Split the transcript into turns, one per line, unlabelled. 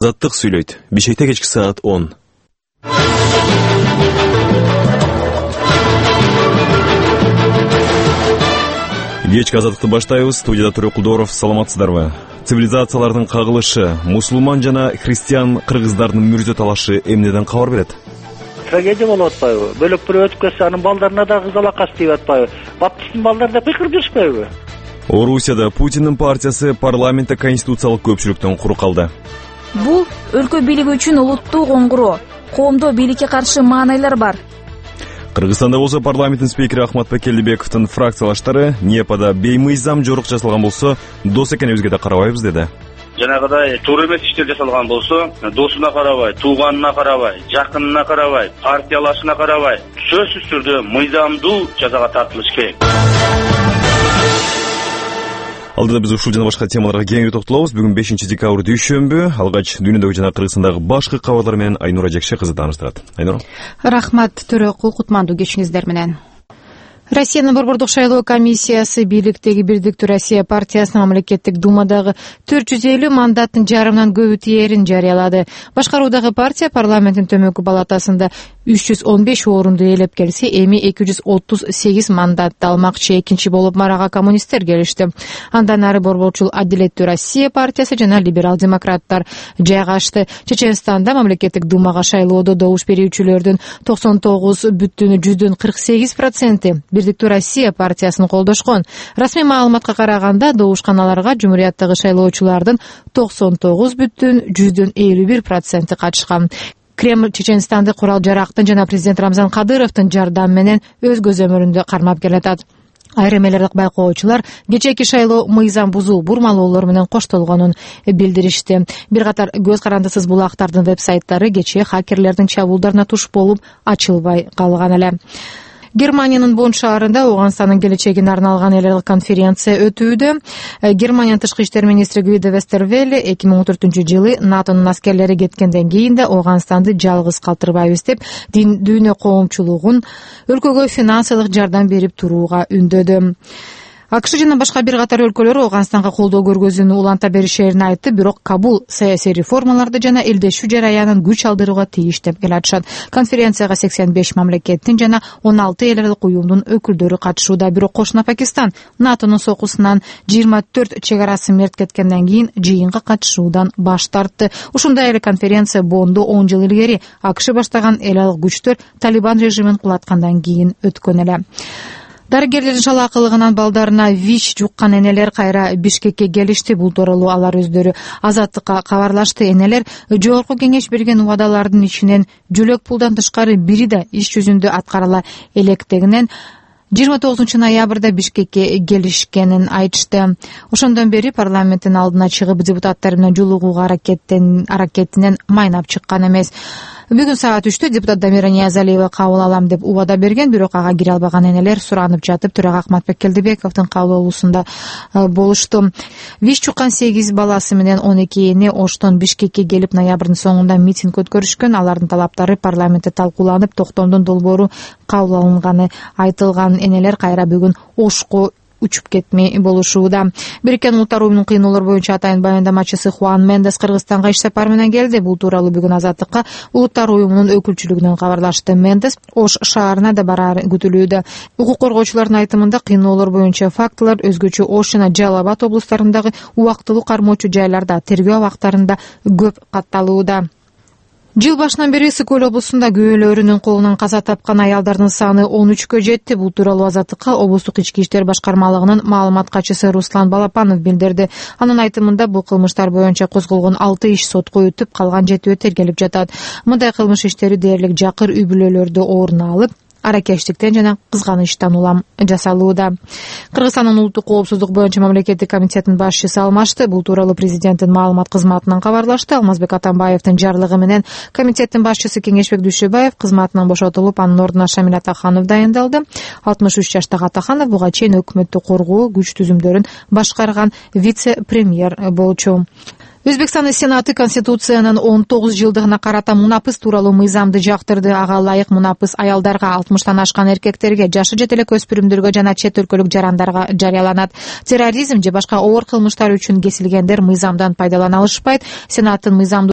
Азаттык сүйлөйт. Бишкекте кечки саат 10. Кечки азаттыкты баштайбыз. Студияда Төрө Кулдоров. Саламатсыздарбы? Цивилизациялардын кагылышы, мусулман жана христиан кыргыздардын мүрзө талашы эмнеден кабар берет?
Трагедия болуп атпайбы? Бөлөк бирөө өтүп кетсе, анын балдарына да кызалакас деп атпайбы? Баптисттин балдары да кыйкырып жүрүшпөйбү?
Орусияда Путиндин партиясы парламентте конституциялык көпчүлүктөн кур калды.
Бул өлкө бийлиги үчүн улуттуу коңгуроо. Коомдо бийликке каршы маанайлар бар.
Кыргызстанда болсо парламенттин спикери Ахматбек Келдибековдун фракциялаштары НИЭПада беймыйзам жорук жасалган болсо, дос экенибизге да карабайбыз деди.
Жанагыдай туура эмес иштер жасалган болсо, досуна карабай, тууганына карабай, жакынына карабай, партиялашына карабай, сөзсүз түрдө мыйзамдуу жазага тартылыш керек.
Алдыда биз ушул жана башка темаларга кеңири токтолобуз. Бүгүн 5 декабрь дүйшөмбү. Алгач дүйнөдөгү жана Кыргызстандагы башкы кабарлар менен Айнура Жекше кызы тааныштырат. Айнура.
Рахмат, Төрө Кутмандуу кечиңиздер менен. Россиянын Борбордук шайлоо комиссиясы бийликтеги Бирдиктүү Россия партиясынын мамлекеттик думадагы 450 мандаттын жарымынан көбү тиерин жарыялады. Башкаруудагы партия парламенттин төмөнкү палатасында 315 орунду ээлеп келсе, эми 238 мандатты алмакчы. Экинчи болуп Марага коммунисттер келишти. Андан ары Борборчул Адилеттүү Россия партиясы жана либерал-демократтар жайгашты. Чеченстанда мамлекеттик думага шайлоодо добуш берүүчүлөрдүн 99,48% Бирдиктүү Россия партиясын колдошкон. Расмий маалыматка караганда, добушканаларга жумурияттагы шайлоочулардын 99,51% катышкан. Кремль Чеченстанды курал-жарактын жана президент Рамзан Кадыровдун жардамы менен өз көзөмөлүндө кармап келатат. Айрым элдик байкоочулар кечээки шайлоо мыйзам бузуу, бурмалоолор менен коштолгонун билдиришти. Бир катар көз карандысыз булактардын веб-сайттары кечээ хакерлердин чабуулдарына туш болуп ачылбай калган эле. Германиянын Бонн шаарында Ооганстандын келечегине арналган эл аралык конференция өтүүдө. Германиянын тышкы иштер министри Гвидо Вестервелле 2014-жылы НАТОнун аскерлери кеткенден кийин да Ооганстанды жалгыз калтырбайбыз деп дүйнө коомчулугун өлкөгө финансылык жардам берип турууга үндөдү. АКШ жана башка бир катар өлкөлөр Ооганстанга колдоо көргөзүүнү уланта беришерин айтты, бирок Кабул саясий реформаларды жана элдешүү жараянын күч алдырууга тийиш деп келатышат. Конференцияга 85 мамлекеттин жана 16 эл аралык уюмдун өкүлдөрү катышууда, бирок кошуна Пакистан НАТОнун сокусунан 24 чек арасын мерт кеткенден кийин жыйынга катышуудан баш тартты. Ушундай эле конференция Бонндо 10 жыл илгери АКШ баштаган эл аралык күчтөр Талибан режимин кулаткандан кийин өткөн эле. Дарыгерлердин шалаакылыгынан балдарына ВИЧ жуккан энелер кайра Бишкекке келишти. Бул тууралуу алар өздөрү Азаттыкка кабарлашты. Энелер жогорку кеңеш берген убадалардын ичинен жөлөк пулдан тышкары бири да иш жүзүндө аткарыла электегинен 29 ноябрда Бишкекке келишкенин айтышты. Ошондон бери парламенттин алдына чыгып депутаттар менен жолугууга аракетинен майнап чыккан эмес. Бүгүн саат 3-тө депутат Дамира Ниязалиева кабыл алам деп убада берген, бирок ага кире албаган энелер суранып жатып, төрага Ахматбек Келдибековдун кабыл алуусунда болушту. ВИЧ жуккан 8 баласы менен 12 эне Оштон Бишкекке келип, ноябрдын соңунда митинг өткөрүшкөн. Алардын талаптары парламентте талкууланып, токтомдун долбоору кабыл алынганы айтылган. Энелер кайра бүгүн Ошко учуп кетмей болушууда. Бириккен Улуттар уюмунун кыйноолор боюнча атайын баяндамачысы Хуан Мендес Кыргызстанга иш сапар менен келди. Бул тууралуу бүгүн Азаттыкка Улуттар уюмунун өкүлчүлүгүнөн кабарлашты. Мендес Ош шаарына да барары күтүлүүдө. Укук коргоочулардын айтымында кыйноолор боюнча фактылар өзгөчө Ош жана Жалал Абад облустарындагы убактылуу кармоочу жайларда, тергөө абактарында көп катталууда. Жыл башынан бери Ысык-Көл облусунда күйөөлөрүнүн колунан каза тапкан аялдардын саны 13кө жетти. Бул тууралуу Азаттыкка облустук ички иштер башкармалыгынын маалымат катчысы Руслан Балапанов билдирди. Анын айтымында бул кылмыштар боюнча козголгон 6 иш сотко өтүп, калган 7 тергелип жатат. Мындай кылмыш иштери дээрлик жакыр үй бүлөлөрдө орун алып, аракештиктен жана кызганычтан улам жасалууда. Кыргызстандын улуттук коопсуздук боюнча мамлекеттик комитеттин башчысы алмашты. Бул тууралуу президенттин маалымат кызматынан кабарлашты. Алмазбек Атамбаевдин жарлыгы менен комитеттин башчысы Кеңешбек Дүйшөбаев кызматынан бошотулуп, анын ордуна Шамил Атаханов дайындалды. 63 жаштагы Атаханов буга чейин өкмөттү коргоо күч түзүмдөрүн башкарган вице-премьер болчу. Өзбекстандын Сенаты Конституциянын 19 жылдыгына карата мунапыс тууралуу мыйзамды жактырды. Ага ылайык мунапыс аялдарга, 60-тан ашкан эркектерге, жашы жетелек өспүрүмдөргө жана чет өлкөлүк жарандарга жарыяланат. Терроризм же башка оор кылмыштар үчүн кесилгендер мыйзамдан пайдалана алышпайт. Сенаттын мыйзамдуу